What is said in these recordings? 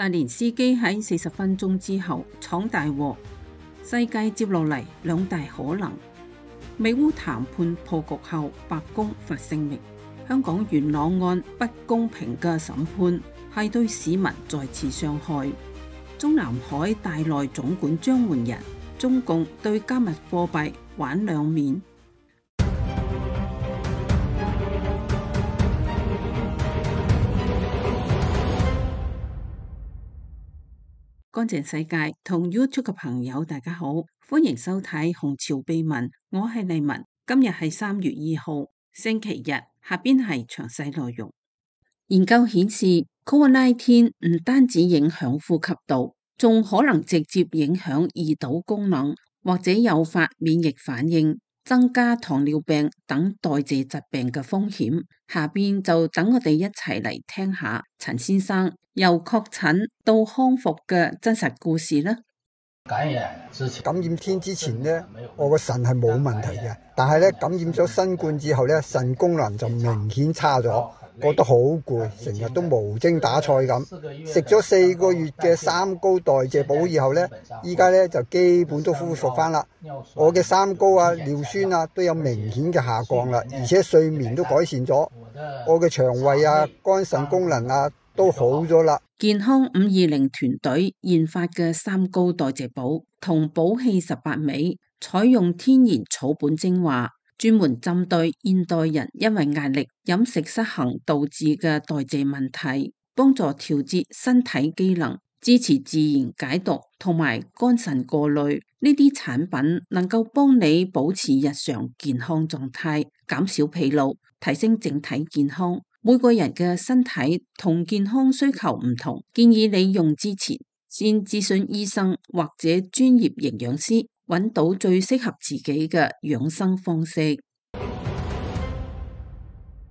澤連斯基喺40分鐘之後闖大禍，世界接落嚟兩大可能。美烏談判破局後，白宮發聲明，香港元朗案不公平嘅審判係對市民再次傷害。中南海大內總管張換仁，中共對加密貨幣玩兩面。乾淨世界同 YouTube 嘅朋友大家好，歡迎收睇紅潮秘聞，我係麗文。今日係3月2號星期日，下邊係詳細內容。研究顯示 COVID-19 唔單止影響呼吸道，仲可能直接影響胰島功能，或者誘發免疫反應，增加糖尿病等代謝疾病嘅風險。下邊就等我哋一齊嚟聽下陳先生由確診到康復嘅真實故事啦。感染天之前呢，我個腎係冇問題嘅，但係咧感染咗新冠之後咧，腎功能就明顯差咗，覺得好攰，成日都無精打采咁。食咗4個月嘅三高代謝補以後咧，依家咧就基本都恢復翻啦。我嘅三高啊、尿酸啊都有明顯嘅下降啦，而且睡眠都改善咗，我嘅腸胃啊、肝腎功能啊都好咗啦。健康520團隊研發嘅三高代謝補同補氣18味，採用天然草本精華，專門針對現代人因為壓力、飲食失衡導致嘅代謝問題，幫助調節身體機能，支持自然解毒同埋肝腎過濾。呢啲產品能夠幫你保持日常健康狀態，減少疲勞，提升整體健康。每個人嘅身體同健康需求唔同，建議你用之前先諮詢醫生或者專業營養師，揾到最適合自己嘅養生方式。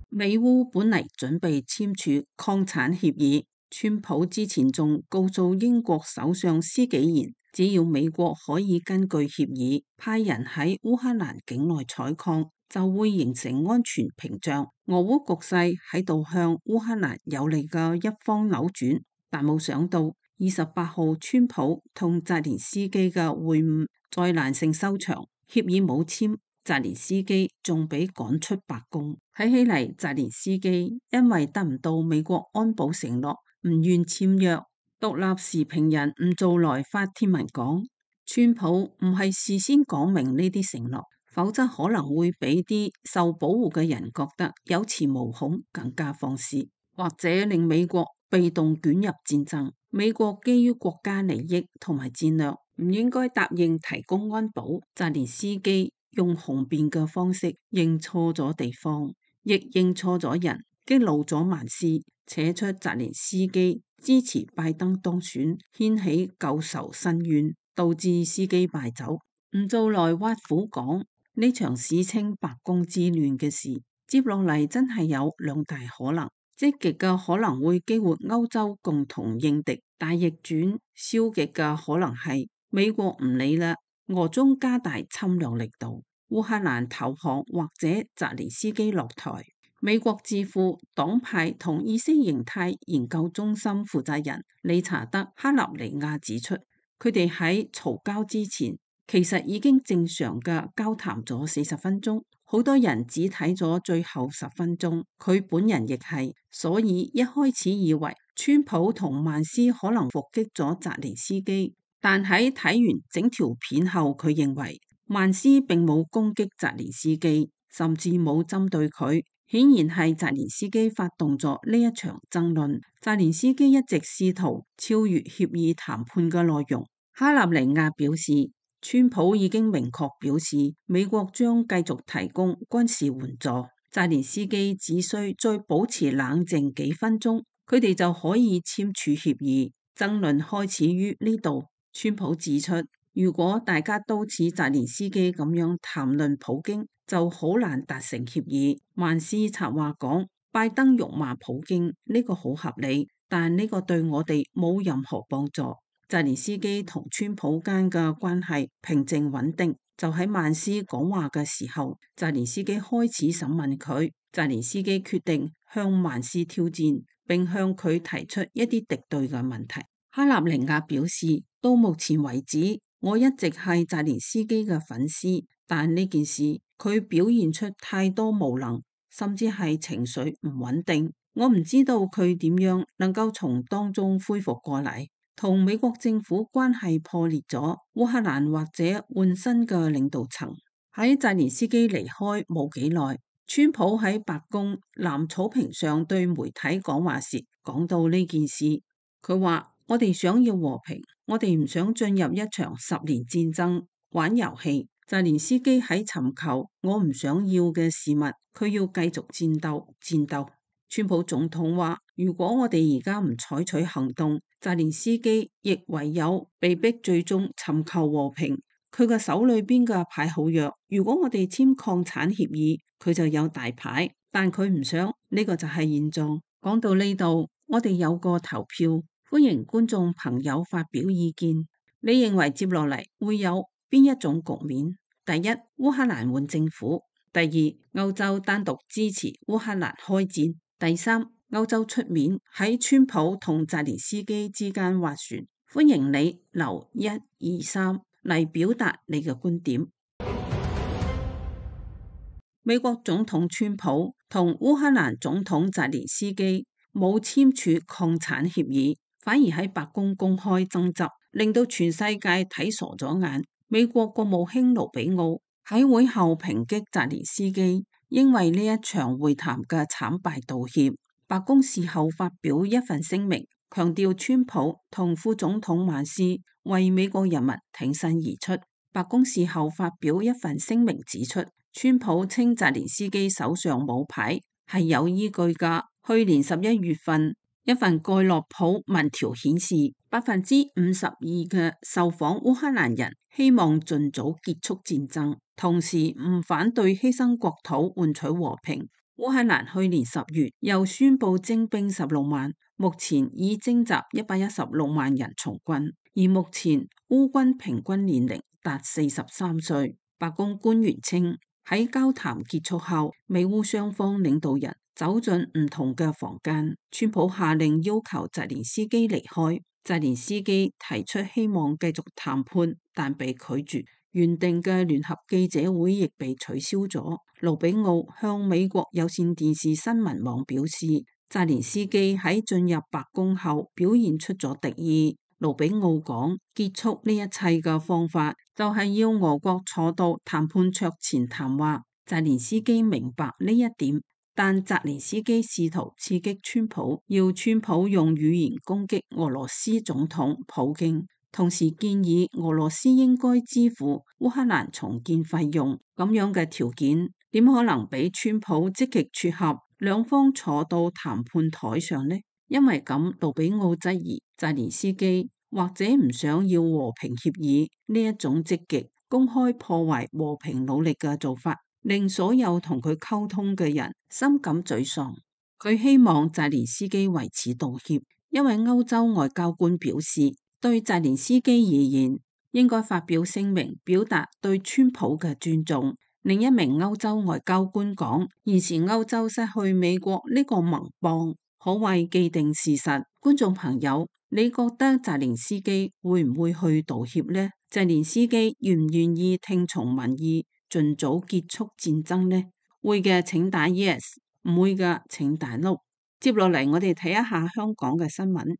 美烏本嚟準備簽署擴產協議，川普之前仲告訴英國首相施紀賢，只要美國可以根據協議派人喺烏克蘭境內採礦，就會形成安全屏障。俄烏局勢喺度向烏克蘭有利嘅一方扭轉，但冇想到28號川普同澤連斯基嘅會晤災難性收場，協議冇簽，澤連斯基仲被趕出白宮。睇起嚟，澤連斯基因為得唔到美國安保承諾，唔願簽約。獨立時評人吳做來發帖文講，川普唔係事先講明呢啲承諾，否則可能會俾啲受保護嘅人覺得有恃無恐，更加放肆，或者令美國被動捲入戰爭。美國基於國家利益同埋戰略，唔應該答應提供安保。澤連斯基用雄辯嘅方式認錯咗地方，亦認錯咗人，激怒咗曼斯，扯出澤連斯基支持拜登當選，掀起舊仇新怨，導致司機敗走。吳做來挖苦講，呢場史稱白宮之亂嘅事，接落嚟真係有兩大可能。積極嘅可能會激活歐洲共同應敵，但逆轉消極嘅可能係美國唔理啦，俄中加大侵略力度，烏克蘭投降或者澤連斯基落台。美國智庫黨派同意識形態研究中心負責人理查德·克納尼亞指出，佢哋喺嘈交之前其實已經正常嘅交談咗40分鐘，好多人只睇咗最後10分鐘，佢本人亦係，所以一開始以為川普同曼斯可能伏擊咗澤連斯基，但喺睇完整條片後，佢認為曼斯並冇攻擊澤連斯基，甚至冇針對佢。顯然係澤連斯基發動咗呢一場爭論。澤連斯基一直試圖超越協議談判嘅內容。哈納尼亞表示，川普已經明確表示美國將繼續提供軍事援助。澤連斯基只需再保持冷靜幾分鐘，佢哋就可以簽署協議。爭論開始於呢度。川普指出，如果大家都似澤連斯基咁樣談論普京，就好難達成協議。曼斯策劃講，拜登辱罵普京呢個好合理，但呢個對我哋冇任何幫助。澤連斯基同川普間嘅關係平靜穩定，就喺曼斯講話嘅時候，澤連斯基開始審問佢。澤連斯基決定向曼斯挑戰，並向佢提出一啲敵對嘅問題。哈納尼亞表示，到目前為止，我一直係澤連斯基嘅粉絲，但呢件事佢表現出太多無能，甚至係情緒唔穩定。我唔知道佢點樣能夠從當中恢復過嚟。同美國政府關係破裂咗，烏克蘭或者換新嘅領導層。喺澤連斯基離開冇幾耐，川普喺白宮藍草坪上對媒體講話時講到呢件事，佢話：我哋想要和平，我哋唔想進入一場10年戰爭玩遊戲。澤連斯基喺尋求我唔想要嘅事物，佢要繼續戰鬥。川普總統話：如果我哋而家唔採取行動，澤連斯基亦唯有被逼最終尋求和平。佢嘅手裏邊嘅牌好弱，如果我哋簽礦產協議，佢就有大牌，但佢唔想，呢個就係現狀。講到呢度，我哋有個投票，歡迎觀眾朋友發表意見。你認為接落嚟會有邊一種局面？第一，烏克蘭換政府；第二，歐洲單獨支持烏克蘭開戰；第三，歐洲出面喺川普同澤連斯基之間斡旋。歡迎你留1、2、3嚟表達你嘅觀點。美國總統川普同烏克蘭總統澤連斯基冇簽署礦產協議，反而喺白宮公開爭執，令到全世界睇傻咗眼。美國國務卿盧比奧喺會後抨擊澤連斯基，因為呢一場會談嘅慘敗道歉。白宮事後發表一份聲明，強調川普同副總統曼斯為美國人民挺身而出。白宮事後發表一份聲明指出，川普稱澤連斯基手上冇牌係有依據㗎。去年11月份，一份蓋洛普民調顯示，52%嘅受訪烏克蘭人希望盡早結束戰爭，同時唔反對犧牲國土換取和平。烏克蘭去年10月又宣布徵兵16萬，目前已徵集116萬人從軍，而目前烏軍平均年齡達43歲。白宮官員稱，喺交談結束後，美烏雙方領導人走進唔同嘅房間。川普下令要求澤連斯基離開，澤連斯基提出希望繼續談判，但被拒絕。原定嘅聯合記者會亦被取消咗。盧比奧向美國有線電視新聞網表示，澤連斯基喺進入白宮後表現出咗敵意。盧比奧講，結束呢一切嘅方法就係要俄國坐到談判桌前談話。澤連斯基明白呢一點，但澤連斯基試圖刺激川普，要川普用語言攻擊俄羅斯總統普京。同時建議俄羅斯應該支付烏克蘭重建費用，咁樣嘅條件點可能俾川普積極撮合，兩方坐到談判台上呢？因為咁，盧比奧質疑澤連斯基或者唔想要和平協議，呢一種積極公開破壞和平努力嘅做法，令所有同佢溝通嘅人深感沮喪。佢希望澤連斯基為此道歉，因為歐洲外交官表示，對澤連斯基而言，應該發表聲明表達對川普嘅尊重。另一名歐洲外交官講，現時歐洲失去美國呢個盟邦，可謂既定事實。觀眾朋友，你覺得澤連斯基會唔會去道歉呢？澤連斯基願唔願意聽從民意，盡早結束戰爭呢？會嘅請打 yes， 唔會嘅請打 no。接落嚟我哋睇一下香港嘅新聞。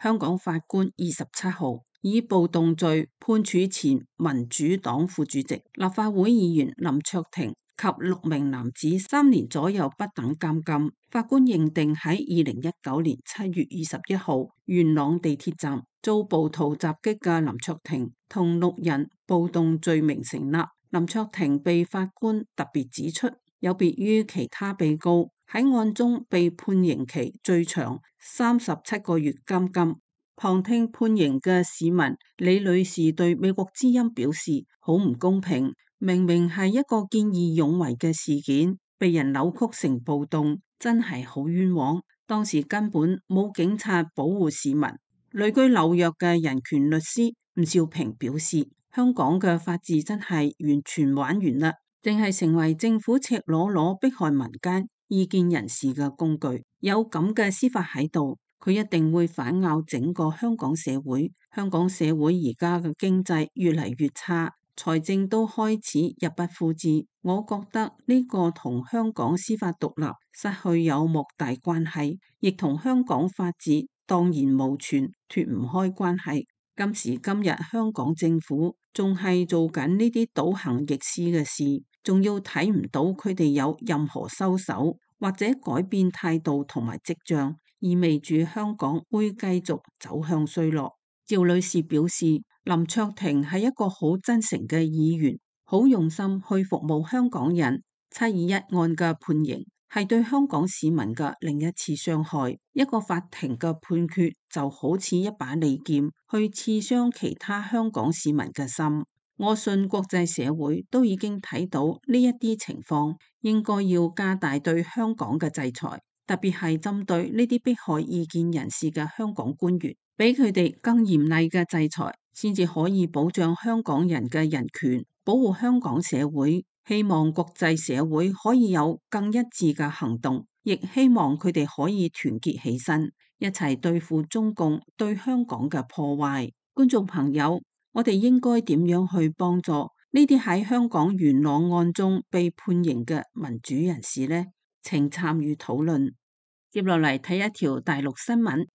香港法官27號以暴動罪判處前民主黨副主席、立法會議員林卓廷及6名男子3年左右不等監禁。法官認定喺2019年7月21號元朗地鐵站遭暴徒襲擊嘅林卓廷同6人暴動罪名成立。林卓廷被法官特別指出，有別於其他被告，喺案中被判刑期最長37個月監禁。旁聽判刑嘅市民李女士對美國之音表示，好唔公平，明明係一個見義勇為嘅事件，被人扭曲成暴動，真係好冤枉。當時根本冇警察保護市民。旅居紐約嘅人權律師吳兆平表示，香港嘅法治真係完全玩完啦，淨係成為政府赤裸裸迫害民間意見人士嘅工具。有咁嘅司法喺度，佢一定會反咬整個香港社會。香港社會而家嘅經濟越嚟越差，財政都開始入不敷支。我覺得呢個同香港司法獨立失去有莫大關係，亦同香港法治蕩然無存脫唔開關係。今時今日香港政府仲係做緊呢啲倒行逆施嘅事，仲要睇唔到佢哋有任何收手或者改變態度同埋跡象，意味住香港會繼續走向衰落。趙女士表示，林卓廷係一個好真誠嘅議員，好用心去服務香港人。721案嘅判刑係對香港市民嘅另一次傷害。一個法庭嘅判決就好似一把利劍，去刺傷其他香港市民嘅心。我信國際社會都已經睇到呢一啲情況，應該要加大對香港嘅制裁，特別係針對呢啲迫害異見人士嘅香港官員，俾佢哋更嚴厲嘅制裁，先至可以保障香港人嘅人權，保護香港社會。希望國際社會可以有更一致嘅行動，亦希望佢哋可以團結起身，一齊對付中共對香港嘅破壞。觀眾朋友，我哋應該點樣去幫助呢啲喺香港元朗案中被判刑嘅民主人士呢？請參與討論。接落嚟睇一條大陸新聞。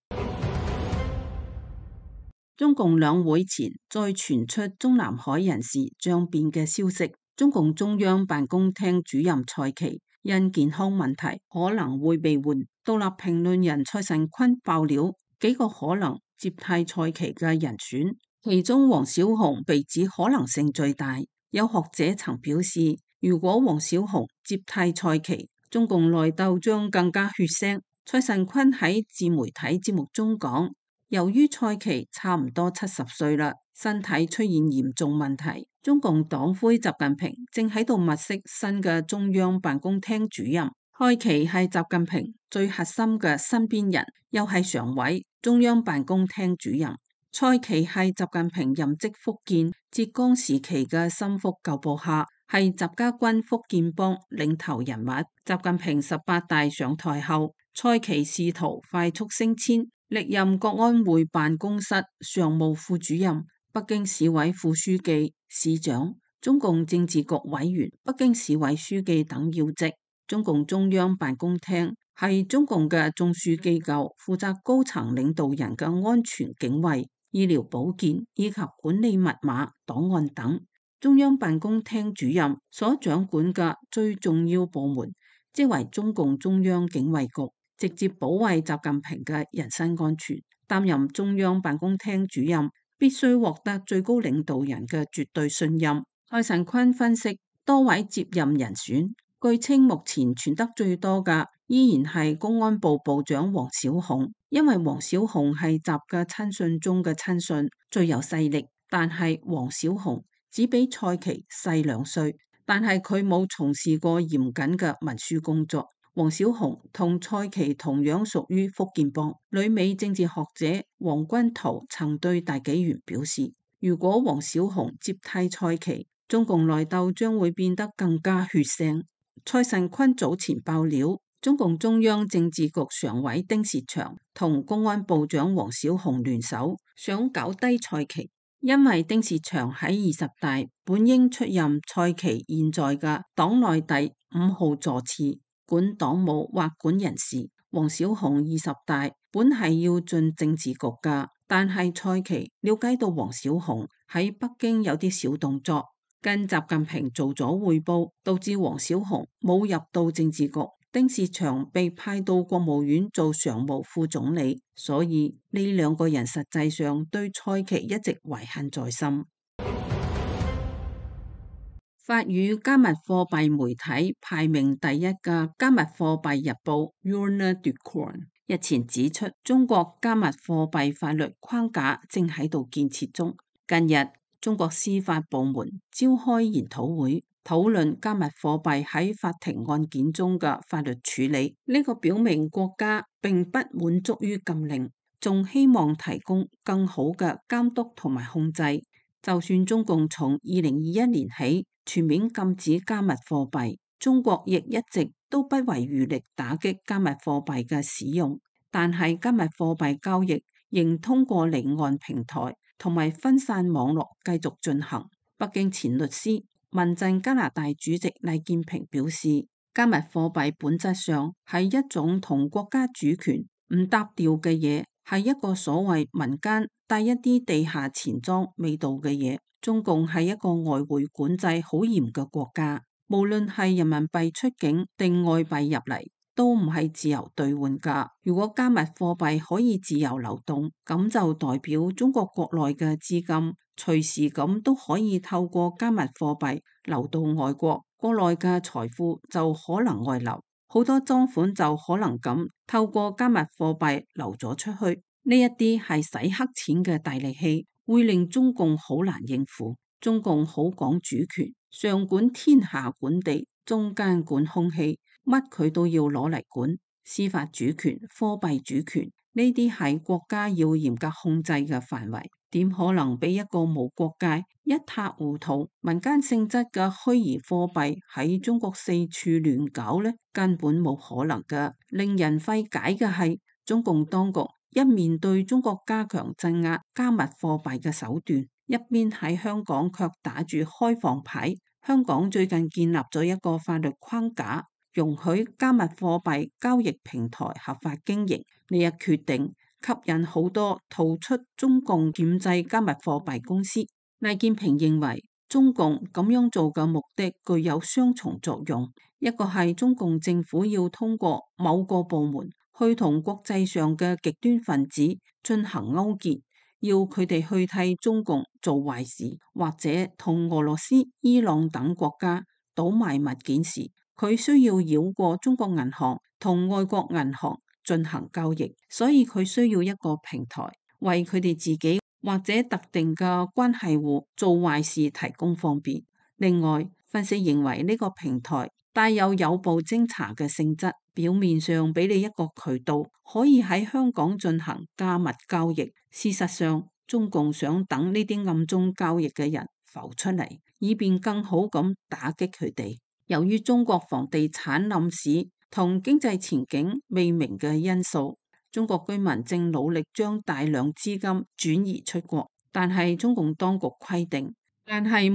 中共兩會前再傳出中南海人事將變嘅消息。中共中央辦公廳主任蔡奇因健康問題可能會被換。獨立評論人蔡慎坤爆料幾個可能接替蔡奇嘅人選，其中王小洪被指可能性最大。有學者曾表示，如果王小洪接替蔡奇，中共內鬥將更加血腥。蔡慎坤喺自媒體節目中講，由於蔡奇差唔多70歲啦，身體出現嚴重問題，中共黨魁習近平正喺度物色新嘅中央辦公廳主任。蔡奇係習近平最核心嘅身邊人，又係常委、中央辦公廳主任。蔡奇係習近平任職福建、浙江時期嘅心腹舊部下，係習家軍福建幫領頭人物。習近平18大上台後，蔡奇試圖快速升遷，歷任國安會辦公室常務副主任、北京市委副書記、市長、中共政治局委員、北京市委書記等要職。中共中央辦公廳係中共嘅中樞機構，負責高層領導人嘅安全警衛、醫療保健以及管理密碼、檔案等。中央辦公廳主任所掌管嘅最重要部門，即為中共中央警衛局，直接保衛習近平嘅人身安全。擔任中央辦公廳主任，必須獲得最高領導人嘅絕對信任。蔡慎坤分析多位接任人選，據稱目前傳得最多嘅依然係公安部部長王小洪，因為王小洪係習嘅親信中嘅親信，最有勢力。但係王小洪只比蔡奇細2歲，但係佢冇從事過嚴謹嘅文書工作。王小洪同蔡奇同樣屬於福建幫。旅美政治學者黃君濤曾對大紀元表示，如果王小洪接替蔡奇，中共內鬥將會變得更加血腥。蔡慎坤早前爆料，中共中央政治局常委丁薛祥同公安部長王小洪聯手，想搞低蔡奇。因為丁薛祥喺20大本應出任蔡奇現在嘅黨內第5號座次，管黨務或管人事。王小洪20大本係要進政治局噶，但係蔡奇了解到王小洪喺北京有啲小動作，跟習近平做咗匯報，導致王小洪冇入到政治局。丁薛祥被派到國務院做常務副總理，所以呢2個人實際上對蔡奇一直懷恨在心。法語加密貨幣媒體排名第1嘅加密貨幣日報 Journal du Coin 日前指出，中國加密貨幣法律框架正喺度建設中。近日，中國司法部門召開研討會，討論加密貨幣喺法庭案件中嘅法律處理。呢個表明國家並不滿足於禁令，仲希望提供更好嘅監督同埋控制。就算中共從2021年起全面禁止加密貨幣，中國亦一直都不遺餘力打擊加密貨幣嘅使用。但係加密貨幣交易仍通過離岸平台同埋分散網絡繼續進行。北京前律師、民陣加拿大主席黎建平表示，加密貨幣本質上係一種同國家主權唔搭調嘅嘢，係一個所謂民間帶一啲地下錢莊味道嘅嘢。中共係一個外匯管制好嚴嘅國家，無論係人民幣出境定外幣入嚟，都唔係自由兌換㗎。如果加密貨幣可以自由流動，咁就代表中國國內嘅資金隨時咁都可以透過加密貨幣流到外國，國內嘅財富就可能外流，好多贓款就可能咁透過加密貨幣流咗出去。呢一啲係洗黑錢嘅大利器，會令中共好難應付。中共好講主權，上管天下管地，中間管空氣，乜佢都要攞嚟管。司法主權、貨幣主權呢啲係國家要嚴格控制嘅範圍，點可能俾一個無國界、一塌糊塗、民間性質嘅虛擬貨幣喺中國四處亂搞呢？根本冇可能㗎。令人費解嘅係，中共當局一面對中國加強鎮壓加密貨幣嘅手段，一邊喺香港卻打住開放牌。香港最近建立咗一個法律框架，容許加密貨幣交易平台合法經營。呢一決定吸引好多逃出中共鉗制加密貨幣公司。黎建平認為，中共咁樣做嘅目的具有雙重作用，一個係中共政府要通過某個部門去同國際上嘅極端分子進行勾結，要佢哋去替中共做壞事，或者同俄羅斯、伊朗等國家倒賣物件時，佢需要繞過中國銀行同外國銀行進行交易，所以佢需要一個平台為佢哋自己或者特定嘅關係戶做壞事提供方便。另外，分析認為呢個平台帶有步偵查嘅性質，表面上俾你一個渠道可以喺香港進行加密交易，事實上中共想等呢啲暗中交易嘅人浮出嚟，以便更好咁打擊佢哋。由於中國房地產冧市同經濟前景未明嘅因素，中國居民正努力將大量資金轉移出國，但係中共當局規定，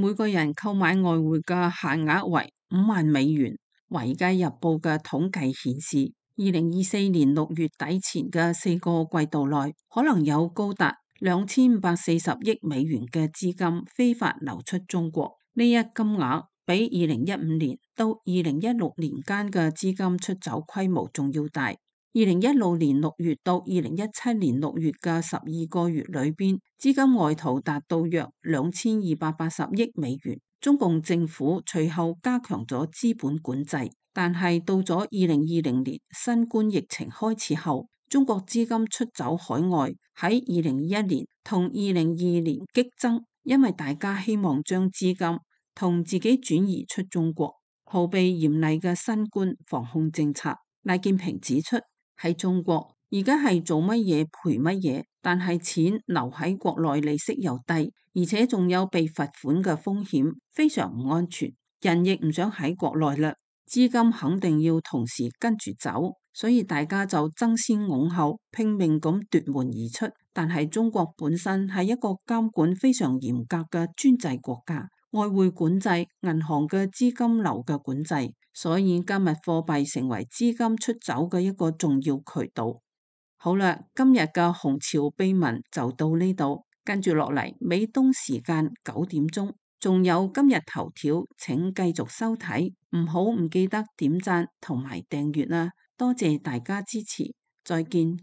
每個人購買外匯嘅限額為$50,000。《華爾街日報》嘅統計顯示，2024年6月底前嘅4個季度內，可能有高達$2540億嘅資金非法流出中國。呢一金額比2015年到2016年間嘅資金出走規模仲要大。2016年6月到2017年6月嘅12個月裏邊，資金外逃達到約$2280億。中共政府隨後加強咗資本管制，但係到咗2020年新冠疫情開始後，中國資金出走海外喺2021年同2022年激增，因為大家希望將資金同自己轉移出中國，逃避嚴厲嘅新冠防控政策。黎建平指出，喺中國而家係做乜嘢賠乜嘢，但係錢留喺國內利息又低，而且仲有被罰款嘅風險，非常唔安全。人亦唔想喺國內啦，資金肯定要同時跟住走，所以大家就爭先恐後，拼命咁奪門而出。但係中國本身係一個監管非常嚴格嘅專制國家，外匯管制、銀行嘅資金流嘅管制，所以加密貨幣成為資金出走嘅一個重要渠道。好啦，今日嘅紅潮秘聞就到呢度，跟住落嚟美東時間9點鐘，仲有今日頭條，請繼續收睇，唔記得點讚同埋訂閱啦，多謝大家支持，再見。